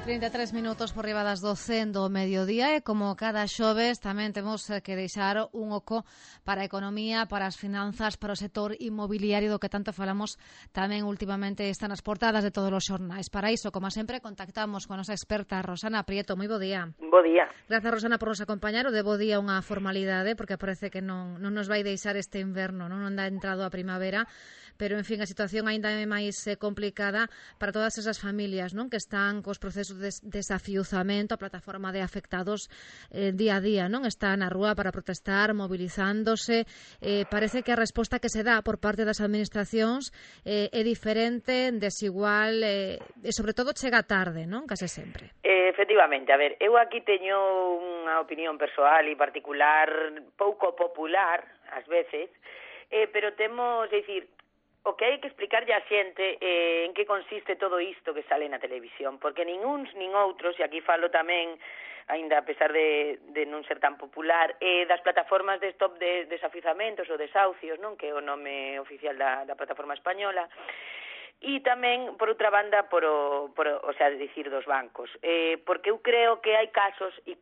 33 minutos por riba das 12 do mediodía e como cada xoves tamén temos que deixar un oco para a economía, para as finanzas, para o sector inmobiliario do que tanto falamos tamén últimamente están as portadas de todos os xornais. Para iso, como sempre, contactamos con a nosa experta Rosana Prieto. Moi bo día. Bo día. Grazas, Rosana, por nos acompañar. O de bo día unha formalidade porque parece que non nos vai deixar este inverno, non dá entrado a primavera, pero, en fin, a situación aínda é máis complicada para todas esas familias, non, que están cos procesos de desafiuzamento. A plataforma de afectados día a día, non, está na rúa para protestar, movilizándose. Parece que a resposta que se dá por parte das administracións é diferente, desigual e, sobre todo, chega tarde, non, case sempre. Efectivamente, a ver, eu aquí teño unha opinión persoal e particular pouco popular, ás veces, pero temos, é dicir, o que hai que explicarlle á xente en que consiste todo isto que sale na televisión, porque nin uns nin outros, e aquí falo tamén, aínda a pesar de non ser tan popular, das plataformas de stop de desafiuzamentos ou desahucios, non, que é o nome oficial da plataforma española, e tamén, por outra banda, o sea, dicir, dos bancos, porque eu creo que hai casos, e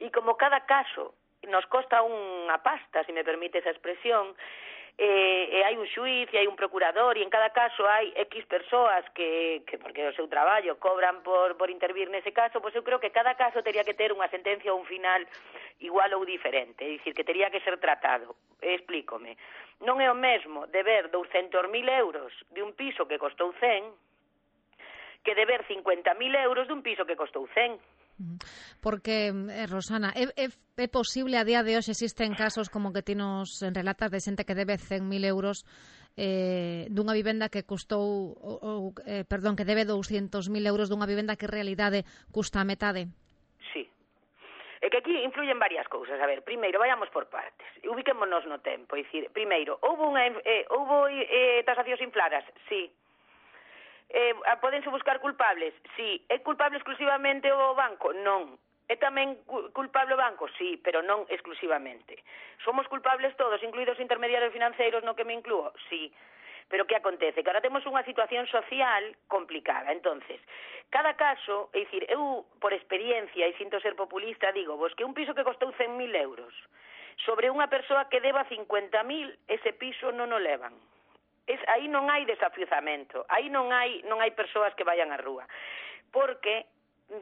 como cada caso nos costa unha pasta, se me permite esa expresión, e hai un xuiz e hai un procurador e en cada caso hai X persoas que porque o seu traballo cobran por intervir nese caso, pois eu creo que cada caso teria que ter unha sentencia ou un final igual ou diferente, é dicir, que teria que ser tratado. Explícome. Non é o mesmo deber 200.000 euros de un piso que costou 100 que deber 50.000 euros dun piso que costou 100. Porque, Rosana, é posible a día de hoxe existen casos como que ti nos relatas de xente que debe 100.000 euros dunha vivenda que custou que debe 200.000 euros dunha vivenda que en realidade custa a metade? Sí. É que aquí influyen varias cousas. A ver, primeiro, vayamos por partes. Ubiquémonos no tempo. É dicir, primeiro, houbo tasacións infladas? Sí. Podense buscar culpables? Sí. É culpable exclusivamente o banco? Non. É tamén culpable o banco? Sí, pero non exclusivamente. Somos culpables todos, incluídos intermediarios financeiros, no que me inclúo? Sí. Pero que acontece? Que ahora temos unha situación social complicada. Entonces, cada caso, é dicir, eu, por experiencia, e sinto ser populista, digo vos que un piso que costou 100.000 euros sobre unha persoa que deba 50.000, ese piso non o levan. Aí non hai desafiuzamento, aí non hai persoas que vayan á rúa, porque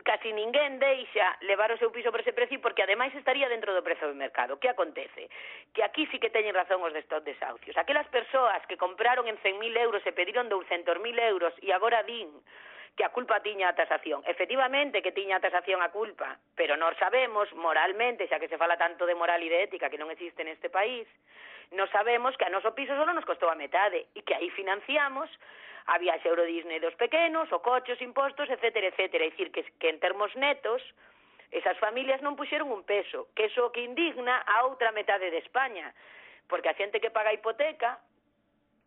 casi ninguén deixa levar o seu piso por ese precio, porque ademais estaría dentro do prezo do mercado. Que acontece? Que aquí sí que teñen razón os de stop desahucios. Aquelas persoas que compraron en 100.000 euros e pediron 200.000 euros e agora din que a culpa tiña a tasación. Efectivamente que tiña a tasación a culpa, pero nós sabemos moralmente, xa que se fala tanto de moral e de ética que non existe neste país, nós sabemos que a noso piso só nos costou a metade e que aí financiamos a viaxe a Euro Disney dos pequenos, o coche, os impostos, etcétera, etcétera. É dicir, que en termos netos, esas familias non puxeron un peso, que iso que indigna a outra metade de España, porque a xente que paga a hipoteca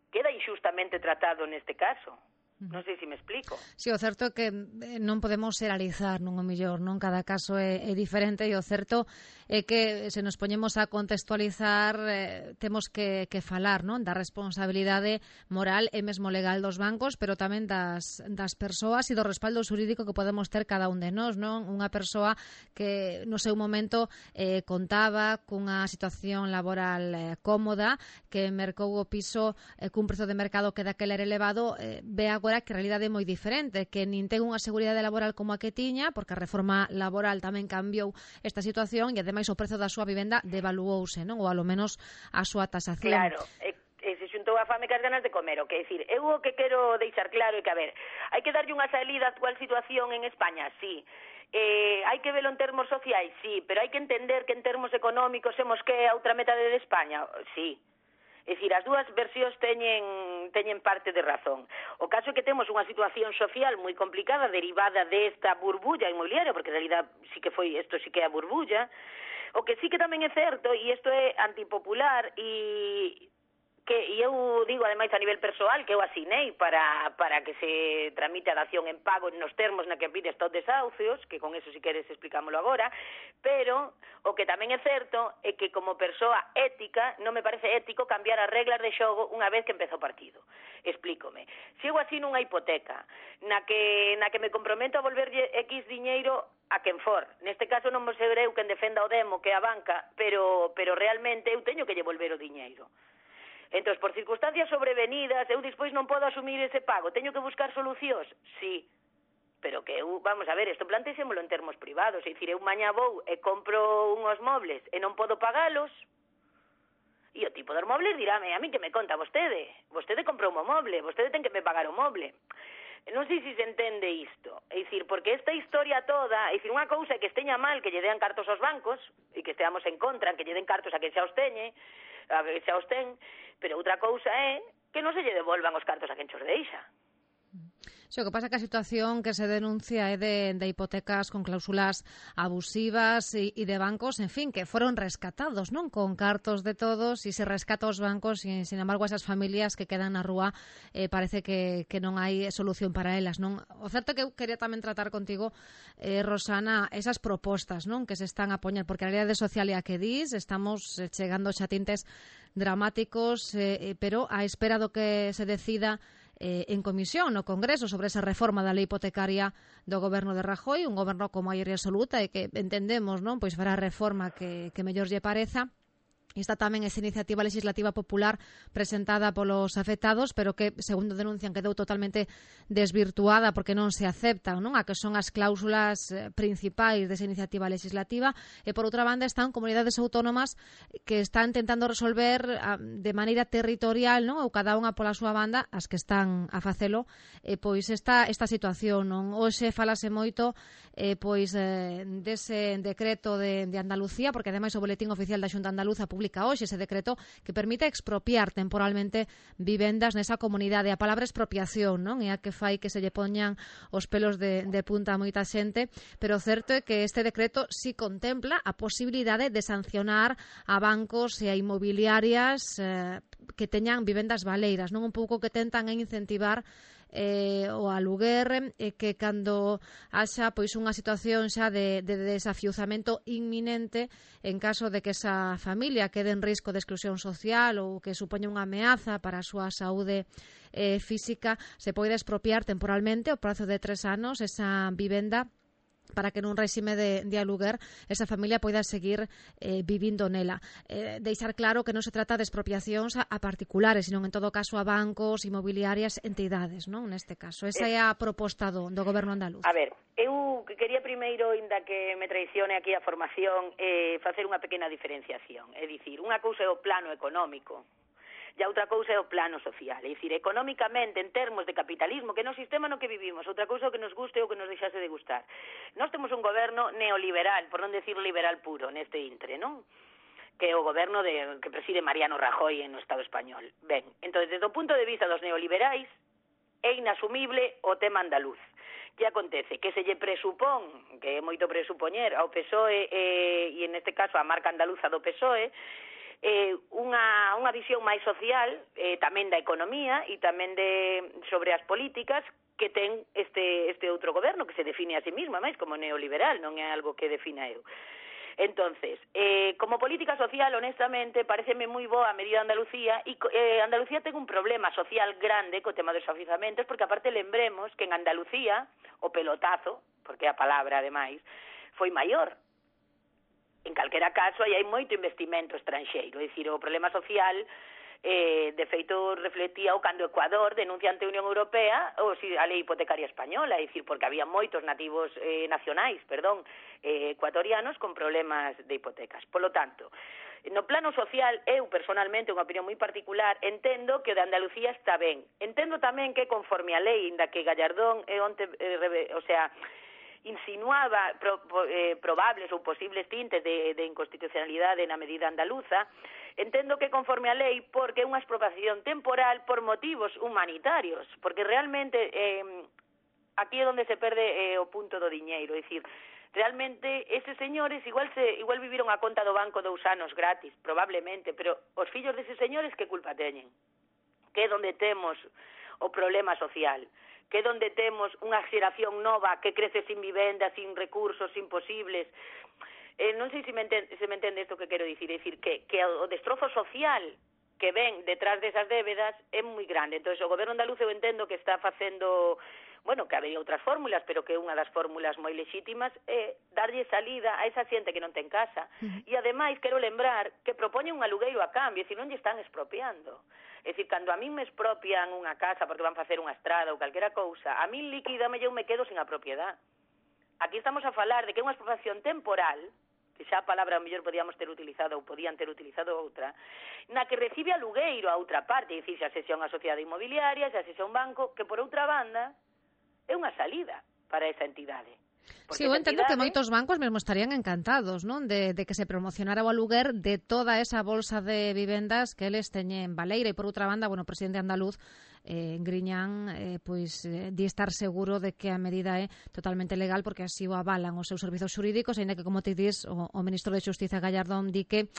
queda injustamente tratado neste caso. Non sei se me explico. Si, o certo é que non podemos xeralizar, non o mellor, non? Cada caso é diferente e o certo é que se nos poñemos a contextualizar temos que falar, non? Da responsabilidade moral e mesmo legal dos bancos, pero tamén das persoas e do respaldo xurídico que podemos ter cada un de nós, non? Unha persoa que no seu momento contaba cunha situación laboral cómoda, que mercou o piso cun prezo de mercado que daquela era elevado, ve agora que a realidade é moi diferente, que nin ten unha seguridade laboral como a que tiña, porque a reforma laboral tamén cambiou esta situación e ademais o prezo da súa vivenda devaluouse, non? Ou alo menos a súa tasación. Claro, se xuntou a fame cas ganas de comer, o que decir, eu o que quero deixar claro é que, a ver, hai que darlle unha salida á actual situación en España, sí. Hai que velo en termos sociais, sí, pero hai que entender que en termos económicos somos que a outra metade de España, sí. É dicir, as dúas versións teñen parte de razón. O caso é que temos unha situación social moi complicada derivada desta burbulla inmobiliaria, porque en realidad isto sí que é a burbulla. O que sí que tamén é certo, e isto é antipopular, e e eu digo ademais a nivel persoal que eu asinei para que se tramite a dación en pago nos termos na que pide estos desahucios, que con eso si queres explicámoslo agora, pero o que tamén é certo é que como persoa ética non me parece ético cambiar as reglas de xogo unha vez que empeza o partido. Explícome. Se eu asino unha hipoteca na que me comprometo a volverlle X diñeiro a quen for, neste caso non vou ser eu quen defenda o demo, que é a banca, pero realmente eu teño que lle volver o diñeiro. Entón, por circunstancias sobrevenidas, eu despois non podo asumir ese pago. Teño que buscar solucións? Sí. Pero que eu, vamos a ver, isto plantéxemolo en termos privados. É dicir, eu mañá vou e compro unhos mobles e non podo pagalos. E o tipo dos mobles dirame, a mí que me conta vostede? Vostede comprou un moble, vostede ten que me pagar o moble. Non sei se se entende isto. É dicir, porque esta historia toda, é dicir, unha cousa é que esteña mal que lle dean cartos aos bancos e que esteamos en contra, que lle den cartos a quen xa os teñe, a que xa os ten, pero outra cousa é que non se lle devolvan os cartos a quen xos deixa. O que pasa é que a situación que se denuncia é de hipotecas con cláusulas abusivas e de bancos, en fin, que foron rescatados, non? Con cartos de todos, e se rescata os bancos, e, sin embargo, esas familias que quedan na rúa parece que non hai solución para elas, non? O certo é que eu quería tamén tratar contigo, Rosana, esas propostas, non? Que se están a poñer, porque a realidade social é a que dis, estamos chegando xa tintes dramáticos, pero a espera do que se decida en comisión no Congreso sobre esa reforma da lei hipotecaria do goberno de Rajoy, un goberno con maioría absoluta e que entendemos, non, pois fará a reforma que mellor lle pareza. Está tamén esa iniciativa legislativa popular presentada polos afectados, pero que, segundo denuncian, quedou totalmente desvirtuada porque non se aceptan, non, a que son as cláusulas principais desa iniciativa legislativa. E, por outra banda, están comunidades autónomas que están tentando resolver de maneira territorial, non, ou cada unha pola súa banda, as que están a facelo, pois esta situación, non. Hoxe falase moito dese decreto de Andalucía, porque ademais o Boletín Oficial da Xunta Andaluza publica hoxe ese decreto que permite expropiar temporalmente vivendas nesa comunidade. A palabra expropiación, non? É a que fai que se lle poñan os pelos de punta a moita xente, pero o certo é que este decreto si contempla a posibilidade de sancionar a bancos e a inmobiliarias que teñan vivendas baleiras, non? Un pouco que tentan incentivar o aluguer, que cando haxa pois unha situación xa de desafiuzamento inminente, en caso de que esa familia quede en risco de exclusión social ou que supoña unha ameaza para a súa saúde física, se pode expropiar temporalmente ao prazo de 3 anos esa vivenda para que nun réxime de aluguer esa familia poida seguir vivindo nela. Deixar claro que non se trata de expropiacións a particulares, sino en todo caso a bancos, inmobiliarias, entidades, non? Neste caso. Esa é a proposta do goberno andaluz. A ver, eu quería primeiro, inda que me traicione aquí a formación, facer unha pequena diferenciación. É dicir, unha cousa é o plano económico, e outra cousa é o plano social. É dicir, económicamente, en termos de capitalismo, que no sistema no que vivimos, outra cousa é o que nos guste ou que nos deixase de gustar. Nós temos un goberno neoliberal, por non decir liberal puro, neste intre, non? Que é o goberno que preside Mariano Rajoy no Estado español. Ben, entón, desde o punto de vista dos neoliberais, é inasumible o tema andaluz. Que acontece? Que se lle presupón, que é moito presupoñer, ao PSOE e neste caso a marca andaluza do PSOE, unha visión máis social, tamén da economía e tamén sobre as políticas que ten este outro goberno que se define a sí mismo, máis como neoliberal, non é algo que defina eu. Entonces, como política social, honestamente, pareceme moi boa a medida de Andalucía, e Andalucía ten un problema social grande co tema dos afiuzamentos, porque aparte lembremos que en Andalucía o pelotazo, porque a palabra ademais, foi maior. En calquera caso, aí hai moito investimento estranxeiro, é dicir, o problema social de feito reflectía o cando Ecuador denuncia ante a Unión Europea a lei hipotecaria española, é dicir, porque había moitos nativos ecuatorianos con problemas de hipotecas. Por lo tanto, no plano social, eu personalmente, unha opinión moi particular, entendo que o de Andalucía está ben. Entendo tamén que conforme a lei, inda que Gallardón insinuaba probables ou posibles tintes de inconstitucionalidade na medida andaluza, entendo que conforme a lei, porque é unha expropiación temporal por motivos humanitarios, porque realmente aquí é onde se perde o punto do diñeiro, é dicir, realmente eses señores igual viviron a conta do banco 2 anos gratis, probablemente, pero os fillos deses señores que culpa teñen? Que é onde temos o problema social, que é onde temos unha xeración nova que crece sin vivenda, sin recursos, imposibles. Non sei se me entende isto que quero dicir, é dicir, que o destrozo social que ven detrás desas débedas é moi grande. Entón, o goberno andaluz eu entendo que está facendo, bueno, que había outras fórmulas, pero que unha das fórmulas moi lexítimas é darlle salida a esa xente que non ten casa. E, ademais, quero lembrar que propoñen un alugueiro a cambio, e non lle están expropiando. É dicir, cando a min me expropian unha casa porque van facer unha estrada ou calquera cousa, a min líquidame eu me quedo sin a propiedade. Aquí estamos a falar de que é unha expropiación temporal, que xa a palabra a mellor podían ter utilizado outra, na que recibe alugueiro a outra parte, é dicir, xa sexa unha sociedade inmobiliaria, xa sexa un banco, que por outra banda é unha salida para esa entidade. Sí, eu entendo que moitos bancos mesmo estarían encantados, non, de que se promocionara o aluguer de toda esa bolsa de vivendas que eles teñen baleira, e por outra banda, bueno, o presidente andaluz Griñán di estar seguro de que a medida é totalmente legal porque así o avalan os seus servizos xurídicos, aínda que, como te dis, o ministro de Xustiza Gallardón di que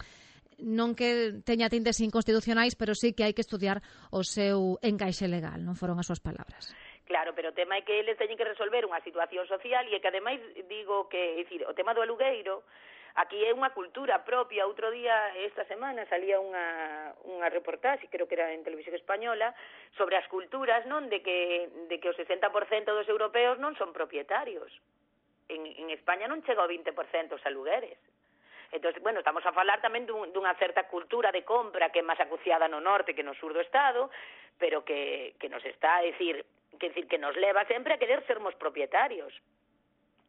non que teña tintes inconstitucionais, pero sí que hai que estudiar o seu encaixe legal, non foron as súas palabras. Claro, pero o tema é que eles teñen que resolver unha situación social e que, ademais, digo que, é dicir, o tema do alugueiro, aquí é unha cultura propia. Outro día, esta semana, salía unha reportaxe, creo que era en Televisión Española, sobre as culturas, non, de que o 60% dos europeos non son propietarios. En España non chega ao 20% os alugueres. Entón, bueno, estamos a falar tamén dunha certa cultura de compra que é máis acuciada no norte que no sur do Estado, pero que nos está a decir que nos leva sempre a querer sermos propietarios.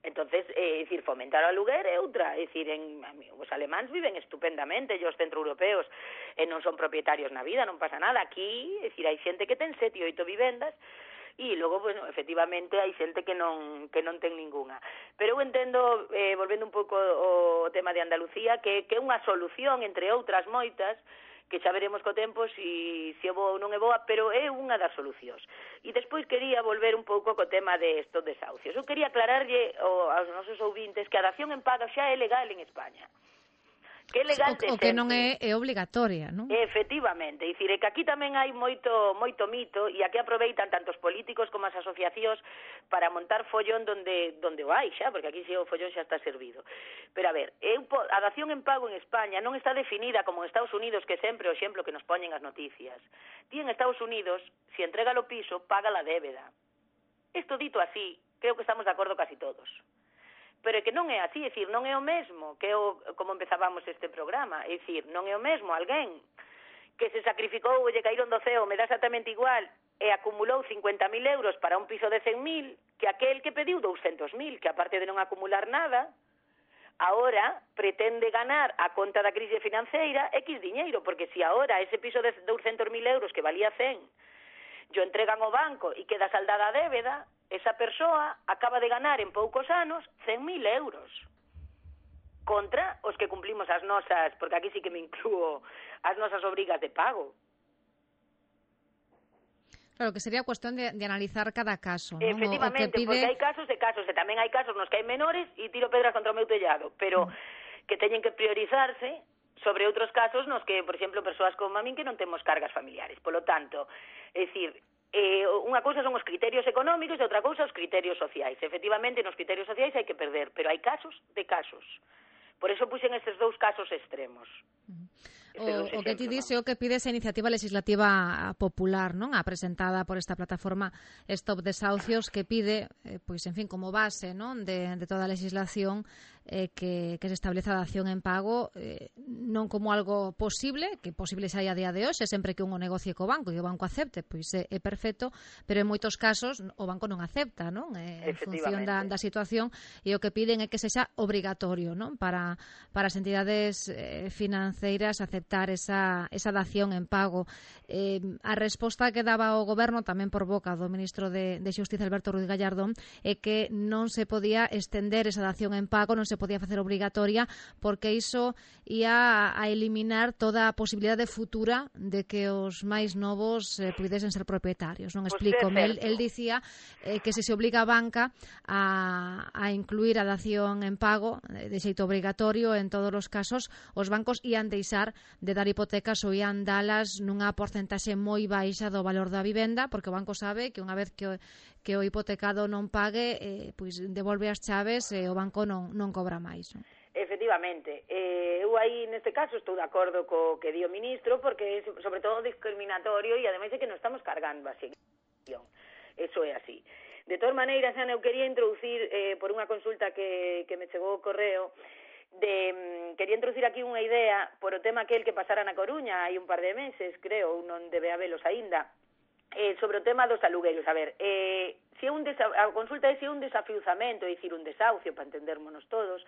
Entonces, fomentar o aluguer é outra. É dicir, os alemáns viven estupendamente, e os centroeuropeos non son propietarios na vida, non pasa nada. Aquí, hai xente que ten 7 e 8 vivendas, e logo, bueno, efectivamente, hai xente que non ten ninguna. Pero eu entendo, volvendo un pouco ao tema de Andalucía, que é unha solución, entre outras moitas, que xa veremos co tempo se é boa ou non é boa, pero é unha das solucións. E despois quería volver un pouco co tema de estos desahucios. Eu quería aclararlle aos nosos ouvintes que a dación en pago xa é legal en España. Que é legal o que non é obligatoria, non? Efectivamente, é dicir, que aquí tamén hai moito mito, e aquí aproveitan tanto os políticos como as asociacións para montar follón donde o hai xa, porque aquí o follón xa está servido. Pero a ver, a dación en pago en España non está definida como en Estados Unidos, que sempre o exemplo que nos poñen as noticias. Ti en Estados Unidos, se entrega o piso, paga la débeda. Isto dito así, creo que estamos de acordo casi todos. Pero é que non é así, é dicir, non é o mesmo que como empezábamos este programa, é dicir, non é o mesmo alguén que se sacrificou e lle caíron do ceo, me dá exactamente igual, e acumulou 50.000 euros para un piso de 100.000 que aquel que pediu 200.000, que aparte de non acumular nada, ahora pretende ganar a conta da crise financeira X diñeiro, porque se ahora ese piso de 200.000 euros que valía 100 yo entregan ao banco e queda saldada a débeda, esa persoa acaba de ganar en poucos anos 100.000 euros contra os que cumplimos as nosas, porque aquí sí que me incluo, as nosas obrigas de pago. Claro, que sería cuestión de analizar cada caso, ¿no? Efectivamente, porque hai casos e casos, e tamén hai casos nos que hai menores e tiro pedras contra o meu tellado, pero que teñen que priorizarse sobre outros casos nos que, por exemplo, persoas como a min que non temos cargas familiares. Polo tanto, é dicir, unha cousa son os criterios económicos e outra cousa os criterios sociais. Efectivamente, nos criterios sociais hai que perder, pero hai casos de casos. Por eso puxen estes dous casos extremos. O que ti dice o que pide esa iniciativa legislativa popular, non? A presentada por esta plataforma Stop Desahucios, que pide, pois, en fin, como base, non, de toda a legislación que se estableza a dación en pago non como algo posible, que posible xa a día de hoxe, sempre que un negocie co banco e o banco acepte, pois é perfecto, pero en moitos casos o banco non acepta, non? En función da situación, e o que piden é que sexa obrigatorio, non? Para as entidades financeiras aceptar aceptar esa dación en pago. A resposta que daba o Goberno, tamén por boca do ministro de Xustiza, Alberto Ruiz Gallardón, é que non se podía estender esa dación en pago, non se podía facer obrigatoria, porque iso ia a eliminar toda a posibilidade futura de que os máis novos pudesen ser propietarios. Non explícome. El dicía que se obliga a banca a incluir a dación en pago de xeito obrigatorio en todos os casos, os bancos ian deixar de dar hipotecas ou ian dalas nunha porcentaxe moi baixa do valor da vivenda, porque o banco sabe que unha vez que o hipotecado non pague, pois devolve as chaves e o banco non cobra máis. Efectivamente. Eu aí, neste caso, estou de acordo co que di o ministro, porque é sobre todo discriminatorio e ademais é que non estamos cargando a sección. Eso é así. De todas maneiras, Ana, eu quería introducir, por unha consulta que me chegou o correo, quería introducir aquí unha idea por o tema aquel que pasara na Coruña hai un par de meses, creo, non debe habelos aínda, sobre o tema dos alugueiros. A ver, a consulta é se un desafiuzamento, é dicir, un desahucio, para entendermonos todos,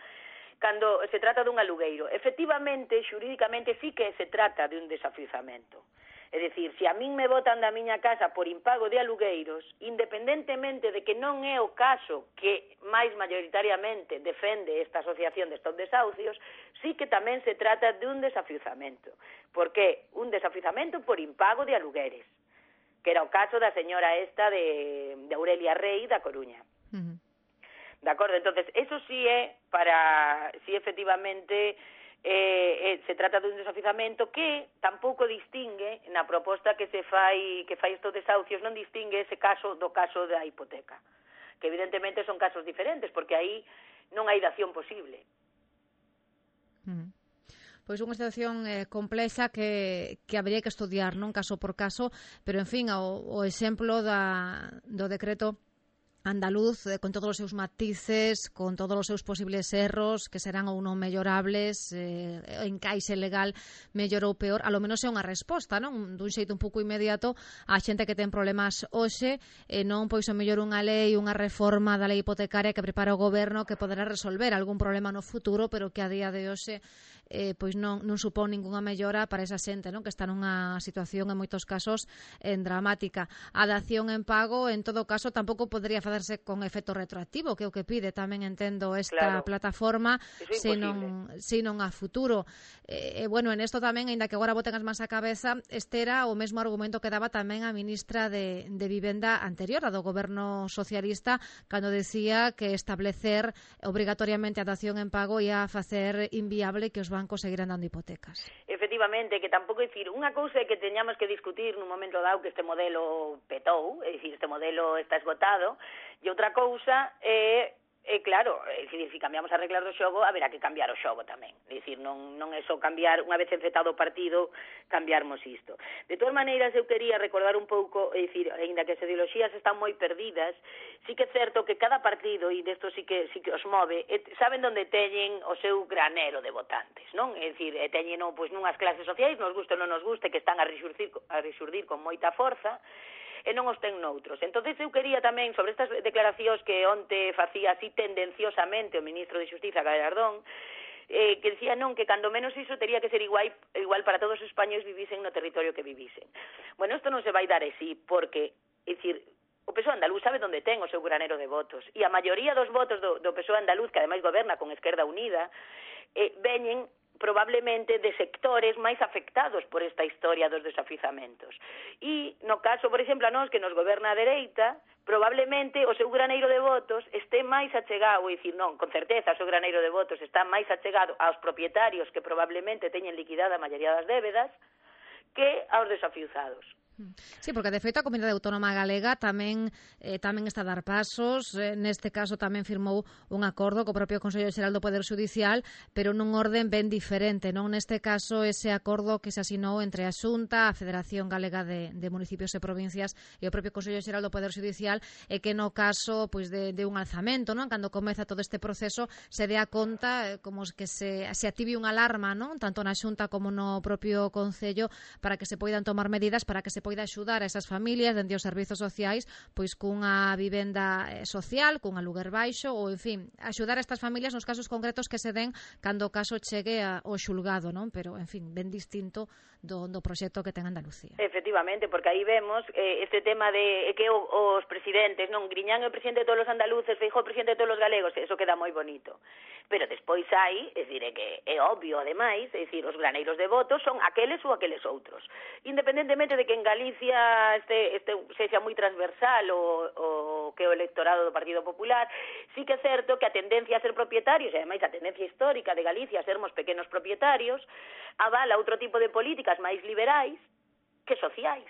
cando se trata dun alugueiro. Efectivamente, xurídicamente, sí que se trata de un desafiuzamento. É dicir, se a min me botan da miña casa por impago de alugueiros, independentemente de que non é o caso que máis maioritariamente defende esta asociación de estos desahucios, sí que tamén se trata de un desafiuzamento. Por que? Un desafiuzamento por impago de alugueres, que era o caso da señora esta de Aurelia Rey da Coruña. De acordo, entonces, eso sí é para, sí efectivamente, se trata dun desafiuzamento que tampouco distingue na proposta que fai estos desahucios, non distingue ese caso do caso da hipoteca, que evidentemente son casos diferentes, porque aí non hai dación posible. Pois unha situación complexa que habría que estudiar, non caso por caso, pero en fin, o exemplo do decreto andaluz, con todos os seus matices, con todos os seus posibles erros, que serán ou non mellorables, encaixe legal mellor ou peor, a lo menos é unha resposta, non? Dun xeito un pouco inmediato a xente que ten problemas hoxe, non pois o mellor unha lei, unha reforma da lei hipotecaria que prepara o Goberno que poderá resolver algún problema no futuro, pero que a día de hoxe pois non supón ningunha mellora para esa xente, non? Que está nunha situación en moitos casos dramática. A dación en pago, en todo caso, tampouco podría facerse con efecto retroactivo, que é o que pide tamén, entendo, esta plataforma, senón a futuro. Bueno, en esto tamén, ainda que agora boten as mans á cabeza, este era o mesmo argumento que daba tamén a ministra de Vivenda anterior, a do Goberno socialista, cando decía que establecer obrigatoriamente a dación en pago ia facer inviable que os bancos seguirán dando hipotecas. Efectivamente, que tampouco é dicir, unha cousa é que teñamos que discutir nun momento dado que este modelo petou, é dicir, este modelo está esgotado, e outra cousa é claro, é dicir, se cambiamos as reglas do xogo, haberá que cambiar o xogo tamén. É dicir, non é só cambiar, unha vez enfretado o partido, cambiarmos isto. De todas maneiras, eu quería recordar un pouco, é dicir, ainda que as ideoloxías están moi perdidas, sí que é certo que cada partido, e desto sí que os move, saben onde teñen o seu granero de votantes, non? É dicir, teñen pois nunhas clases sociais, nos guste ou non nos guste, que están a rexurdir con moita forza, e non os ten noutros. Entonces eu quería tamén, sobre estas declaracións que onte facía así tendenciosamente o ministro de Xustiza, Gallardón, que decía non, que cando menos iso tería que ser igual para todos os españois vivisen no territorio que vivisen. Bueno, isto non se vai dar así, porque, é dicir, o PSOE andaluz sabe onde ten o seu granero de votos, e a maioría dos votos do PSOE andaluz, que ademais goberna con Esquerda Unida, veñen probablemente de sectores máis afectados por esta historia dos desafiuzamentos. E no caso, por exemplo, a nós que nos goberna a dereita, probablemente o seu graneiro de votos este máis achegado, é dicir, non, con certeza o seu graneiro de votos está máis achegado aos propietarios que probablemente teñen liquidada a maioría das débedas que aos desafiuzados. Sí, porque de feito a Comunidade Autónoma Galega tamén está a dar pasos, neste caso tamén firmou un acordo co propio Consello Xeral do Poder Xudicial, pero nun orden ben diferente, non? Neste caso ese acordo que se asinou entre a Xunta, a Federación Galega de Municipios e Provincias e o propio Consello Xeral do Poder Xudicial, e que no caso pois de un alzamento, non? Cando comeza todo este proceso se dea conta como que se active unha alarma, non? Tanto na Xunta como no propio Concello, para que se poidan tomar medidas para que se se poida axudar a esas familias dende os servizos sociais pois cunha vivenda social, cun aluguer baixo ou, en fin, axudar a estas familias nos casos concretos que se den cando o caso chegue ao xulgado, non? Pero, en fin, ben distinto do proxecto que ten Andalucía. Efectivamente, porque aí vemos este tema de que os presidentes, non, Griñán é o presidente de todos os andaluces, Feijóo é o presidente de todos os galegos, eso queda moi bonito. Pero despois hai, é dicir, que é obvio, ademais, é dicir, os graneiros de votos son aqueles ou aqueles outros. Independentemente de que en Galicia sexa moi transversal o que o electorado do Partido Popular, sí que é certo que a tendencia a ser propietarios, e ademais a tendencia histórica de Galicia a sermos pequenos propietarios, avala outro tipo de políticas máis liberais que sociais.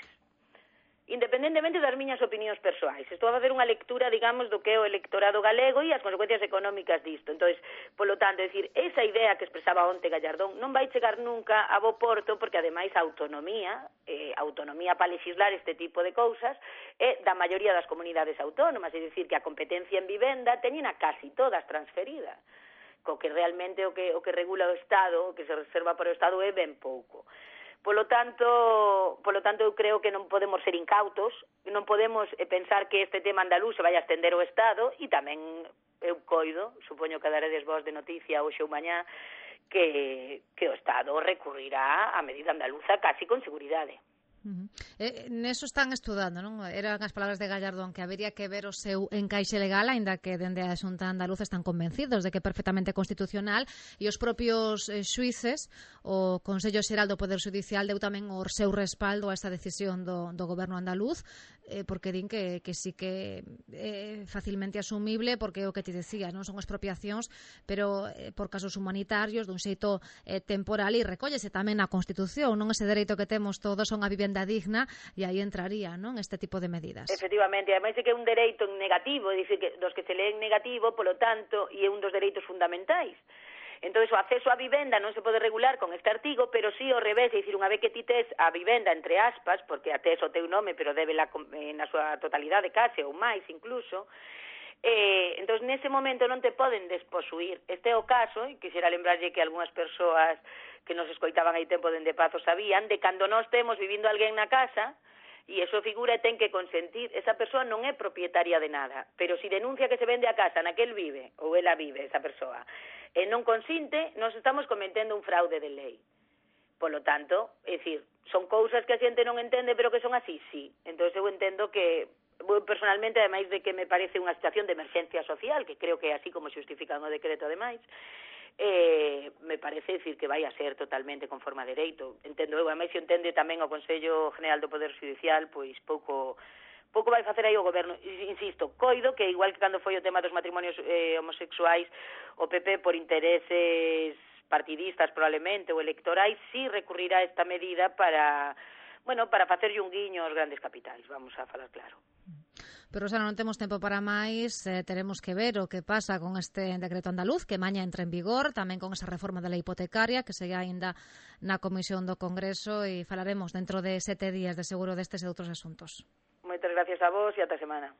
Independentemente das miñas opinións persoais. Estou a facer unha lectura, digamos, do que é o electorado galego e as consecuencias económicas disto. Entón, polo tanto, é dicir, esa idea que expresaba onte Gallardón non vai chegar nunca a bo porto, porque ademais a autonomía para legislar este tipo de cousas é da maioría das comunidades autónomas, é dicir, que a competencia en vivenda teñen a casi todas transferida, co que realmente o que regula o Estado, o que se reserva para o Estado é ben pouco. Polo tanto, eu creo que non podemos ser incautos, non podemos pensar que este tema andaluz se vai a estender ao Estado, e tamén eu coido, supoño que daredes vos de noticia hoxe ou mañá, que o Estado recurrirá á medida andaluza casi con seguridade. Neso están estudando, non? Eran as palabras de Gallardón, que habería que ver o seu encaixe legal, aínda que dende a Xunta Andaluza están convencidos de que é perfectamente constitucional, e os propios xuíces, o Consello Xeral do Poder Judicial deu tamén o seu respaldo a esta decisión do goberno andaluz, porque din que sí que é facilmente asumible, porque é o que te decía, non son expropiacións, pero por casos humanitarios, dun xeito temporal, e recóllese tamén na Constitución, non? Ese dereito que temos todos son a vivenda digna, e aí entraría, non, este tipo de medidas. Efectivamente, ademais é que é un dereito negativo, é dicir, que dos que se leen negativo, polo tanto, e é un dos dereitos fundamentais. Entón, o acceso á vivenda non se pode regular con este artigo, pero sí ao revés, é dicir, unha vez que ti tes a vivenda entre aspas, porque a tes o teu nome, pero débela na súa totalidade case, ou máis incluso, entón, nese momento non te poden desposuir. Este é o caso, e quixera lembrarlle que algunhas persoas que nos escoitaban aí tempo dende Pazo sabían, de cando nós temos vivindo alguén na casa, e eso figura e ten que consentir, esa persoa non é propietaria de nada, pero si denuncia que se vende a casa na que el vive, ou ela vive, esa persoa, e non consinte, nos estamos cometendo un fraude de lei. Polo tanto, é dicir, son cousas que a xente non entende, pero que son así, sí. Entón, eu entendo que, personalmente, ademais de que me parece unha situación de emerxencia social, que creo que é así como xustifican o decreto, ademais, me parece decir que vai a ser totalmente conforme a dereito. Entendo eu, ademais, se entende tamén o Consello General do Poder Judicial, pois pouco vai facer aí o goberno. Insisto, coido que igual que cando foi o tema dos matrimonios homosexuais, o PP por intereses partidistas probablemente ou electorais sí recurrirá a esta medida para facerlle un guiño aos grandes capitais, vamos a falar claro. Pero, Rosana, non temos tempo para máis, teremos que ver o que pasa con este decreto andaluz, que maña entra en vigor, tamén con esa reforma da lei hipotecaria, que segue aínda na Comisión do Congreso, e falaremos dentro de 7 días de seguro destes e outros asuntos. Moitas gracias a vos e ata semana.